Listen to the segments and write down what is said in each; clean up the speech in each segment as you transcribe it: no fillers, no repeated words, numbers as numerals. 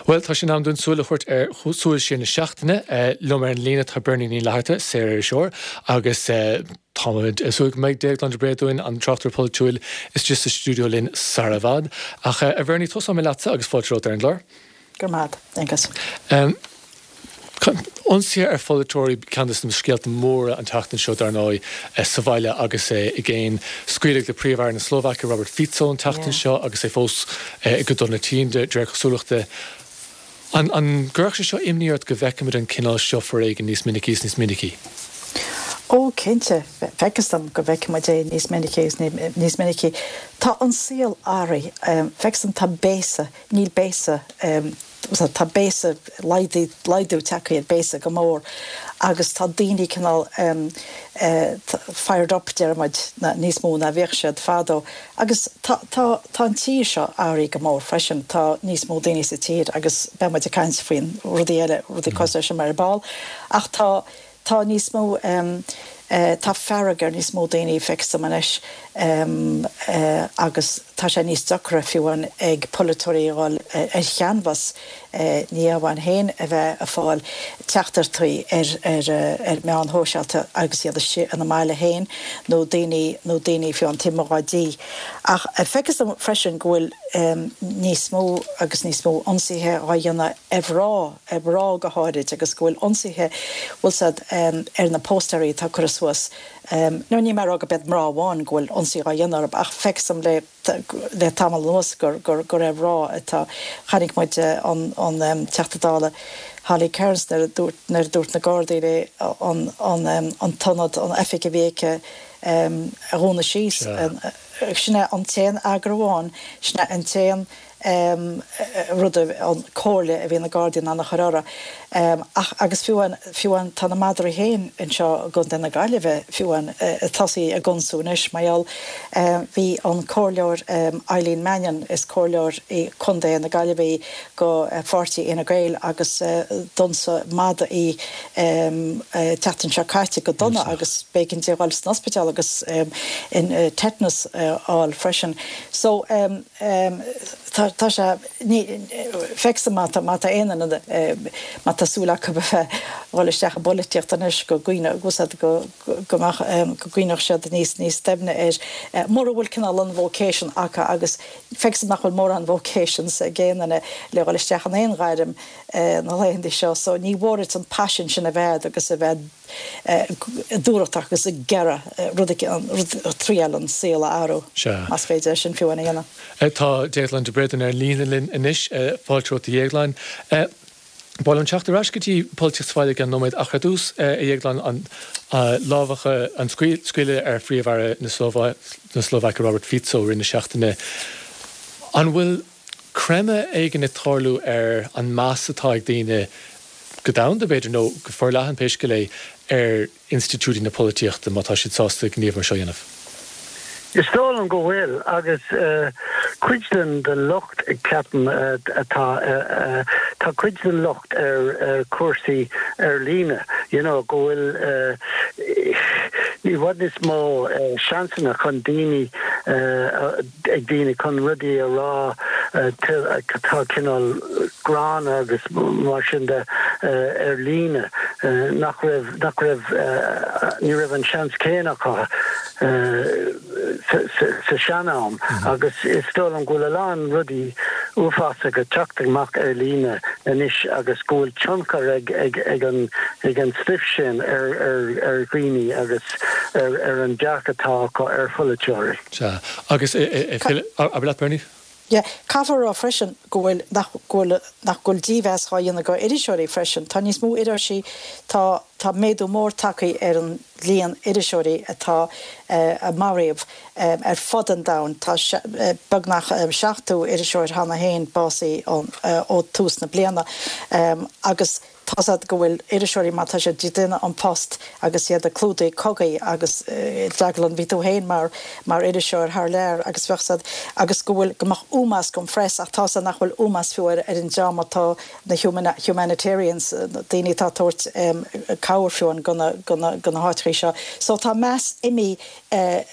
Bhuel, tá sé in am dúinn súil a thabhairt ar Súil Siar na Seachtaine. Liom ar an líne tá Bernie Ní Fhlatharta, saoririseoir, agus táimid ag súil go mbeidh Déaglán De Bréadúin, an tráchtaire polaitiúil, istigh sa stiúideo linn sara i bhfad. Ach a Bhernie, tosóidh mé leatsa agus fáilte romhat ar an gclár. Go raibh maith agat, Aengus. Ionsaithe ar pholaiteoirí ceann de na scéalta móra an tseachtain seo, dar ndóigh, sa bhaile agus i gcéin. Scaoileadh le Príomh-Aire na Slóvaice, Robert Fico, an tseachtain seo agus é fós go dona tinn, de réir cosúlachta. An gcuirfeadh sé seo imní ort go bhfeicfimid an cineál seo foréigin níos minicí is níos minicí? Ó, cinnte, feictear dom go bhfeicfimid é níos minicí is níos minicí. Tá an saol athraithe. Feictear dom tá béasa, níl béasa, Tá béasa, laghdú tagtha ar béasa go mór agus tá daoine cineál fired up, deir muid, níos mó ná bhíodh siad fadó. Agus tá, tá, tá an tír seo athraithe go mór freisin, tá níos mó daoine sa tír agus beidh muid ag caint faoin rudaí eile, rudaí cosúil leis sin ar ball. Ach tá, Tá níos mó, tá fearg ar níos mó daoine, feictear dom anois, agus tá sé níos deacra fiú amháin ag polaiteoirí a dhul ar chanbhas, ní amháin féin a bheith ag fáil teachtaireachtaí ar ar meáin shóisialta agus iad istigh ina mbaile féin nó daoine nó daoine fiú amháin taobh amuigh dá dtigh. Ach feictear dom freisin go bhfuil níos mó agus níos mó ionsaithe á dhéanamh ar mhná. ar mhná go háirid, agus go bhfuil ionsaithe, bhfuil 's a'd, ar na póstaeirí atá curtha suas. Nó níl mé ag rá gurb iad mná amháin go bhfuil ionsaí á dhéanamh orthu, ach feictear dom le, le tamall anuas gur, gur, gur ar mhná atá. Chonaic muid an, an Teachta Dála Holly Cairns nuair a dúirt, nuair a dúirt na Gardaí léi an, an, an t-ionad, an oifig a bhí aici a dhúnadh síos. Sin é an t-aon fhreagra amháin, sin é an t-aon rud, an comhairle a bhí na Gardaí in ann a chur uirthi. Ach, agus fiú amháin, fiú amháin, tá na madraí féin anseo i gContae na Gaillimhe, fiú amháin, ag tosaí ag ionsú anois, mar gheall, bhí an comhairleoir Eileen Mannion, is comhairleoir i Contae na Gaillimhe í go pháirtí Fhine Gael agus d'ionsaigh mada í an tseachtain seo caite go dona agus b'éigean di a dhul san ospidéal agus tetanus a fháil freisin. So. Tá sé, ní, feictear dom má tá, má tá aon duine, má tá súil acu a bheith ag dhul isteach i bpolaitíocht anois go gcuimhneodh, bhfuil 's a'd, go, go mbeadh, go gcuimhneodh siad níos, níos doimhne air. Mura bhfuil cineál an vocation acu agus feictear dom nach bhfuil mórán vocations ag aon duine le dhul isteach in aon ghairm na laethanta seo so ní mhór duit an paisean sin a bheith a'd agus a bheith dúthrachtach agus ag iarraidh rud éicint, triail an saol a athrú, más féidir é sin fiú amháin a dhéanamh. Tá Déaglán De Bréadún ar líne linn anois. Fáilte romhat a Dhéagláin. Ba mhaith liom teacht ar ais go dtí polaitíocht sa bhaile i gceann nóiméad ach ar dtús, a Dhéagláin, an lámhach, an scaoileadh ar Phríomh-Aire na Slóvaice Robert Fico i rith na seachtaine. An bhfuil creimeadh éigin ag tarlú ar an meas atá ag daoine go domhanda, b'fhéidir, nó go forleathan, pé scéal é, ar institiúidí na polaitíochta, má tá siad sásta gníomh mar seo a dhéanamh. Is dóigh liom go bhfuil, agus cuid den locht, ceapaim, atá, tá cuid den locht ar chúrsaí ar líne, you know, go bhfuil i bhfad níos mó seansanna chun daoine ag daoine chun rudaí a rá atá cineál gránna agus mar sin de ar líne nach raibh, nach raibh, ní raibh an seans céanna acu sa sean-am agus is dóigh liom go bhfuil a lán rudaí uafásacha ag teacht amach ar líne anois agus go bhfuil tionchar ag, ag, ag an, ag an stuif sin ar, ar, ar dhaoine agus ar, ar an dearcadh atá acu ar pholaiteoirí. Sea. Agus, abair leat, Bernie. Yeah. Caithfear a rá freisin go bhfuil, nach bhfuil, nach bhfuil dímheas dhá dhéanamh go iriseoirí freisin. Tá níos mó iriseoirí, tá, tá méadú mór tagtha ar an líon iriseoirí atá, a maraíodh ar fud an domhain. Tá beagnach 70 iriseoir cheana féin básaithe ó tús na bliana agus. Tá's a'd go bhfuil iriseoirí má tá siad ag déanamh an post agus iad ag clúdaigh cogaí agus Déaglán bhí tú féin mar mar iriseoir thar lear agus bheadh 's a'd agus go bhfuil go mbeadh ómós don phress ach tá's a'd nach bhfuil ómós fiú ar ar an dream atá na humanitarians daoine atá ag tabhairt cabhair fiú amháin go na go na go na háiteachaí seo so tá meas imithe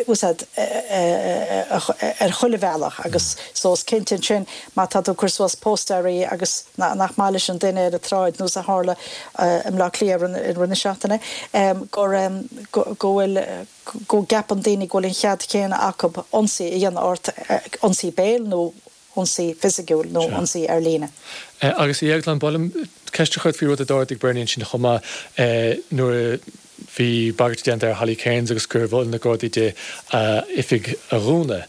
úsáid ar chuile bhealach agus so is cinnte ansin má tá tú ag cur suas póstaerí agus nach maith leis an duine ar an tsráid nós a tharla i mBleá Cliath i rith na seachtaine gur go bhfuil go gceapann daoine go bhfuil an chead chéanna acu ionsaí a dhéanamh ort, ionsaí béil nó ionsaí fisiciúil nó ionsaí ar líne. Agus a Dhéagláin, ba mhaith liom ceist a chur ort faoi rud a d'ardaigh Bernie ansin chomh maith, nuair a bhí bagairt déanta ar Holly Cairns agus gur mhol na Gardaí di a oifig a dhúnadh.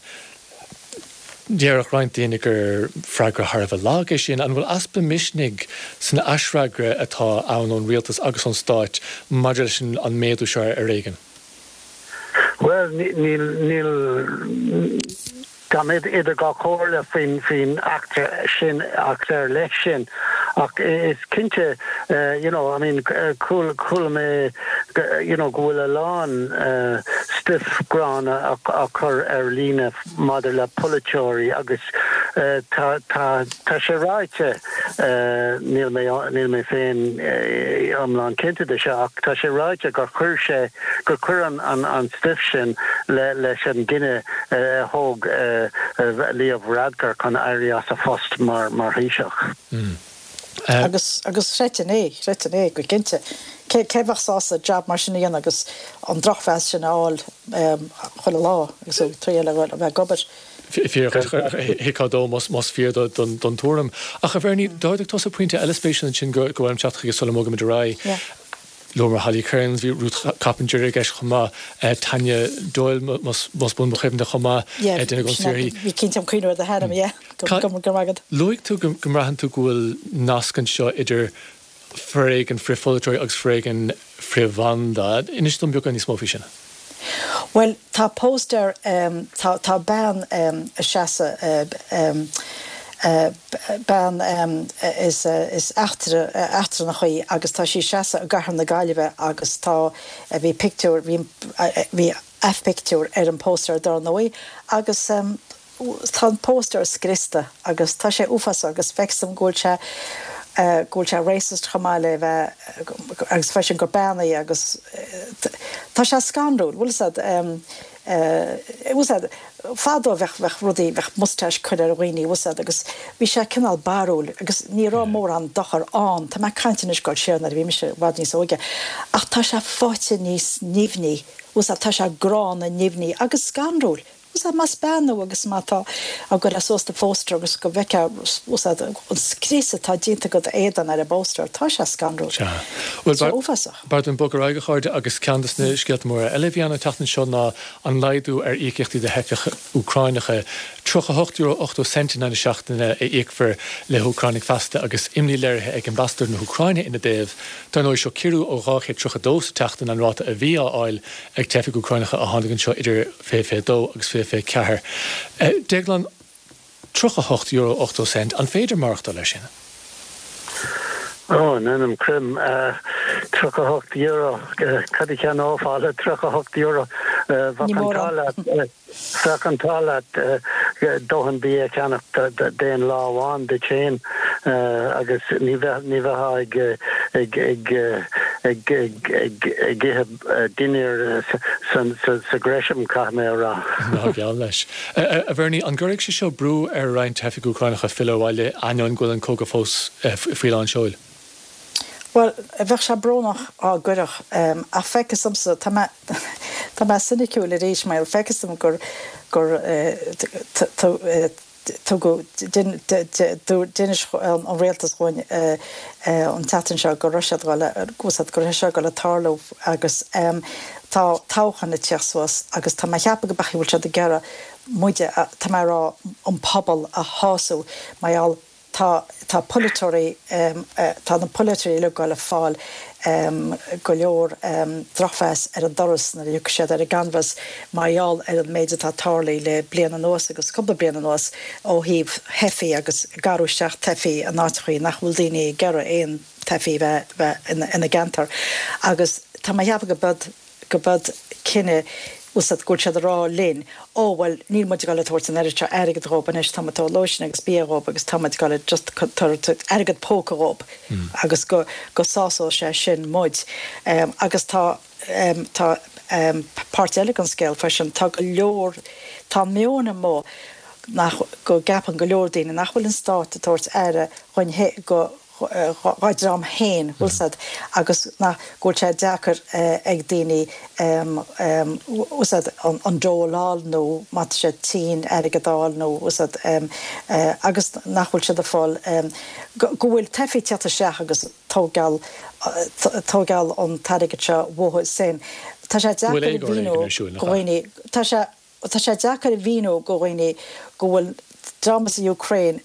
Déarfadh roinnt daoine gur freagra thar a bheith lag é sin. An bhfuil easpa misnigh san aisfhreagra atá ann ón rialtas agus ón stáit maidir leis an méadú seo ar fhoréigean? Bhuel, níl, níl. Táim idir dhá chomhairle faoin eachtra sin, eachtra ar leith sin, ach is cinnte, you know, I mean, chuala mé, you know, go bhfuil a lán stuif gránna á chur ar líne maidir le polaiteoirí agus tá, tá, tá sé ráite, níl mé, níl mé féin iomlán cinnte de seo, ach tá sé ráite gur chuir sé, gur chuir an stuif sin leis an gcinneadh a thóg Leo Varadkar chun éirí as a phost mar Thaoiseach. Agus agus chreidfinn é, chreidfinn é go cinnte. Cé cé bheadh sásta jab mar sin a dhéanamh agus an drochmheas sin a fháil chuile lá agus tú ag triail a bheith ag obair? Thuigfeá dó más fíor don tuairim. Ach a Bhernie, d'ardaigh tusa pointe eile spéisiúil ansin gur mhaith liom teacht chuige sula mbogaimid ar aghaidh. Luamar Holly Cairns, bhí Ruth Coppinger i gceist chomh maith, Tanya Doyle más buan mo chuimhne chomh maith, duine den saothraí. Bhí cinnte am cuimhneamh ar do hainm, yeah. Go raibh maith agat. Luaigh tú go mbraitheann tú go bhfuil nasc anseo idir foréigean frith-pholaiteoirí agus foréigean frith-bhanda. Inis dom beagán níos mó faoi sin. Bhuel, tá póstaer, tá, tá bean ag seasamh, bean is, is eachtra, eachtrannach í agus tá sí ag seasamh i gcathair na Gaillimhe agus tá, bhí pictiúr, bhí, bhí a pictiúr ar an póstaer dár ndóigh agus, Tá an póstaer scriosta agus tá sé uafásach agus feictear dom go bhfuil sé go bhfuil sé racist chomh maith le bheith agus freisin gur bean í agus tá sé scanrúil, bhfuil fhios a'd bhfuil fhios a'd fadó bheadh bheadh rudaí bheadh moustache curtha ar dhaoine bhfuil fhios a'd agus bhí sé cineál barrúil agus ní raibh mórán dochar ann, tá mé ag caint anois goil siar nuair a bhí mise i bhfad níos óige ach tá sé faighte níos nimhní, bhfuil fhios a'd tá sé gránna nimhní agus scanrúil. Bhfuil fhios a'd más bean thú agus má tá ag goil suas do phóstaer agus go bhfeicfeá bhfuil fhios a'd an scrios atá déanta agat éadan ar an bpóstaer, tá sé scanrúil. Sea. Bhuel, Tá sé uafásach. b'fhearr dúinn bogadh ar aghaidh, a chairde, agus ceann de na scéalta móra eile a bhí ann an tseachtain seo ná an laghdú ar íocaíochtaí do theifigh Úcráineacha. €38.80 in aghaidh na seachtaine a íocfar le hÚcránaigh feasta agus imní léirithe ag ambasadóir na hÚcráine ina dtaobh. Dar ndóigh, seo ciorrú ó 232 sa tseachtain an ráta a bhí á fháil ag teifigh Úcráineacha a tháinig anseo idir 2022 agus 2024. Déaglán, €38.80, an féidir maireachtáil ar sin? Ó, in ainm Croim, €38, cad a cheannófá le €38? Bheadh an t-ádh leat. Bheadh an t-ádh leat dóthain bia a cheannach d'aon lá amháin duit féin agus ní bheifeá ag ithe dinnéar sa Gresham, caithfidh mé a rá. Ná geall leis. A Bhernie, an gcuirfidh sé seo brú ar roinnt teifigh Úcránacha filleadh abhaile ainneoin go bhfuil an cogadh fós faoi lán seoil? Bhuel, bheadh sé brónach dá gcuirfeadh, ach feictear domsa, tá mé, tá mé soiniciúil arís, mar feictear dom gur, gur tugadh, d'inis an rialtas dhúinn an tseachtain seo go raibh siad ag dul, go raibh sé seo ag dul ag tarlú agus tá toghchán ag tíocht suas agus tá mé ag ceapadh go b'fhéidir go bhfuil siad ag iarraidh muide, tá mé ag rá an pobal a shású mar gheall. Tá, tá polaiteoirí, tá na polaiteoirí uilig ag goil a fáil go leor drochmheas ar an doras nuair a thiocfaidh siad ar an gcanbhás mar gheall ar an méid atá tarlaithe le bliain anuas agus cúpla bliain anuas ó thaobh theifigh agus garrú isteach teifigh in áiteachaí nach bhfuil daoine ag iarraidh aon teifigh bheith ina gceantar agus tá mé a cheapadh go b'eod go b'eod cinneadh bhfuil 's a'd go bhfuil siad a rá linn ó bhuel níl muid ag dul a tabhairt an oiread seo airgead dhób anois tá muid ag tabhairt lóistín agus bia dhób agus tá muid ag dul a just tabhairt airgead póca dhób agus go go sásóidh sé sin muid. Agus tá tá páirt eile den scéal freisin tá go leor tá meon amuigh nach go gceapann go leor daoine nach bhfuil an stát ag tabhairt aire dhuinn go dhá dream féin, bhfuil 's a'd, agus nach, go bhfuil sé deacair ag daoine, bhfuil 's a'd, an dole a fháil nó má tá siad tinn airgead a fháil nó, bhfuil 's a'd, agus nach bhfuil siad ag fáil, go bhfuil teifigh ag teacht isteach agus tógáil, tógáil an t-airgead seo uathu sin. Tá sé deacair a mhíniú do dhaoine, tá sé. Tá sé deacair a mhíniú do dhaoine go bhfuil dream as an Ukraine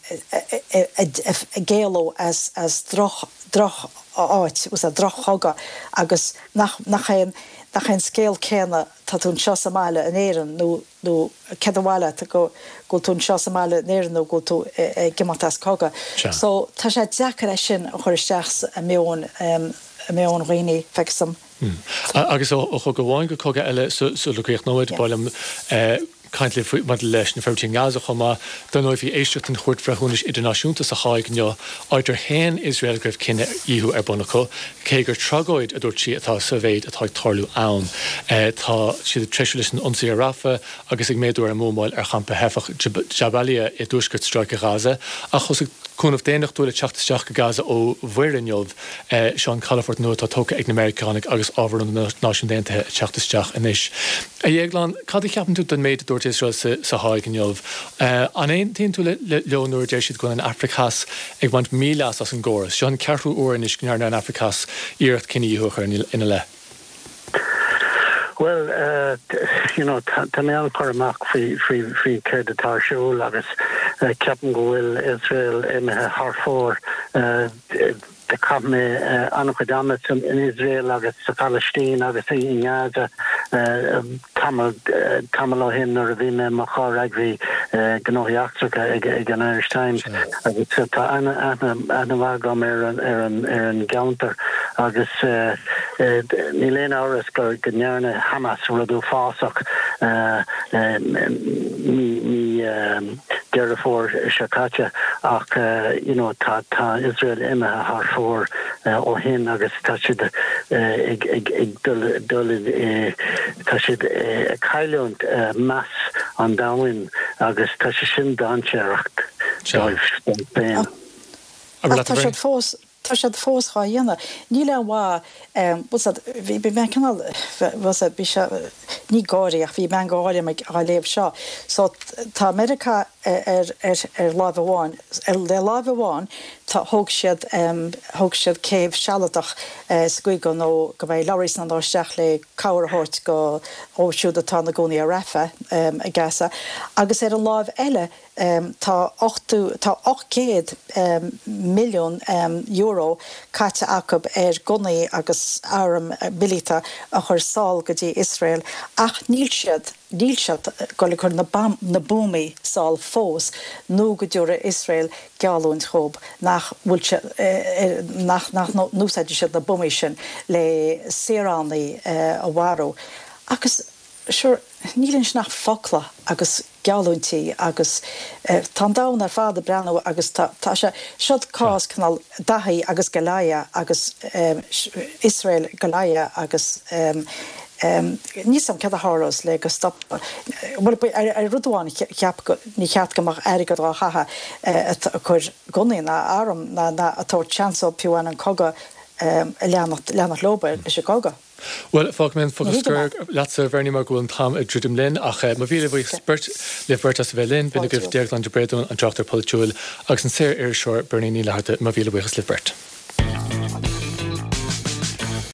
ag éalú as droch droch áit, droch chogadh agus nach nach é an nach é an scéal céanna tá tú anseo sa mbaile in Éirinn nó nó céard ba mhaith leat go go bhfuil tú anseo sa mbaile in Éirinn nó go bhfuil tú ag imeacht as cogadh. So tá sé deacair é sin a chur isteach i meon i meon dhaoine, feictear dom. Agus ó chogadh amháin go cogadh eile sula gcríochnóimid, ba mhaith liom caint libh faoi maidir leis na forbairtí i nGaza chomh maith. Dar ndóigh bhí éisteacht den Chúirt Bhreithiúnais Idirnáisiúnta sa Háig inniu, áit ar shéan Iosrael go raibh cinedhíothú ar bun acu, cé gur tragóid, a dúirt sí, atá sa mhéid atá ag tarlú ann. Tá siad ag treisiú leis an ionsaí ar Rafah agus ag méadú ar an mbuamáil ar champa theifeach Jabalia i dtuaisceart Stráice Ghaza. Ach thosaigh cúnamh daonnachtúil ag teacht isteach go Gaza ó mhuir inniu. Seo an calafort nua atá tógtha ag na Meiriceánaigh agus ábhar ó na Náisiúin Aontaithe ag teacht isteach anois. A Dhéagláin, cad a cheapann tú den méid a dúirt Iosrael sa Háig inniu? An aontaíonn tú leo nuair a deir siad go bhfuil an Afraic Theas ag baint míleas as an gcóras? Seo an ceathrú uair anois go ndearna an Afraic Theas iarracht cinedhíothú a chur ina leith. Bhuel, you know, tá mé an-chur amach faoi, faoi, faoi céard atá ar siúl agus ceapaim go bhfuil Iosrael imithe thar fóir. Chaith mé an-chuid ama in Iosrael agus sa Phalaistín agus i nGaza tamall, tamall ó shin nuair a bhí mé i mo chomhfhreagraí gnóthaí eachtracha ag, ag an Irish Times agus tá aithne, aithne, aithne mhaith agam ar an, ar an, ar an gceantar agus níl aon amhras go, go ndearna Hamas rud uafásach mí, mí Deireadh Fómhair seo caite ach you know tá tá Iosrael imithe thar fóir ó shin agus tá siad ag ag ag dul dul i tá siad ag cailliúint meas an domhain agus tá sé sin dainséarach dóibh féin. Ach tá siad fós Tá siad fós dhá dhéanamh. Níl aon mhaith, bhfuil 's a'd, bhí mé cineál, bhfuil 's a'd, bhí sé, ní gáirí ach bhí meangadh gáire orm á léamh seo. So tá Meiriceá ar, ar, ar láimh amháin, ar, le láimh amháin tá, thóg siad, thóg siad céibh sealadach sa gcaoi go nó go mbeidh lorries in ann dul isteach le cabhair a thabhairt go, dhóibh siúd atá ina gcónaí ar Rafah i Gaza. Agus ar an láimh eile, Tá 80, tá 800 milliún euro caite acu ar gunnaí agus airm mhíleata a chur sall go dtí Iosrael ach níl siad, níl siad ag dul ag cur na na buamaí sall fós nó go dtabharfaidh Iosrael geallúint dhób nach bhfuil siad, nach, nach n-úsáidfidh siad na buamaí sin le saoránaigh a mharú. Agus sure, níl ansin ach focla agus. geallúintí agus tá an domhan ar fad ag breathnú agus tá tá sé seo cás cineál Daithí agus Goliath agus Iosrael Goliath agus níl 's a'm céard a tharlós le go stop bhuel ar rud amháin cheap go ní cheart go mbeadh airgead á chaitheamh ag cur gunnaí ná arm ná ná ag tabhairt seans dóibh fiú amháin an cogadh a leanacht leanacht leo leis an gcogadh. Bhuel, fágfaidh mé an focal scoir leatsa, a Bhernie, mar go bhfuil an t-am ag druidim linn, ach mo mhíle buíochas beirt, libh beirt as a bheith linn. B'in agaibh Déaglán de Bréadún, an tráchtaire polaitiúil, agus an saor-iriseoir Bernie Ní Fhlatharta. Mo mhíle buíochas libh beirt.